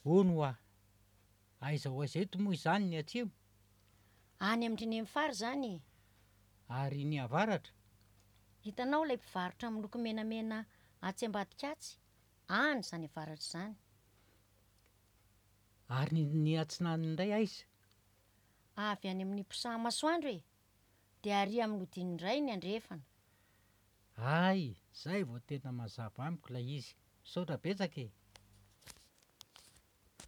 Hono hoa, aiza ho aiza eto moa izany ny atsimo? Any amin-dry Nenifara izany e! Ary ny avaratra? Hitanao ilay mpivarotra miloko menamena atsy ambadika atsy? Any izany avaratra izany. Ary ny ny atsinanana indray aiza? Avy any amin'ny mpisaha-masoandro e! Dia ary amin'ny hodiny indray ny andrefana. Hay! Zay vao tena mazava amiko ilay izy. Misaotra betsaka e!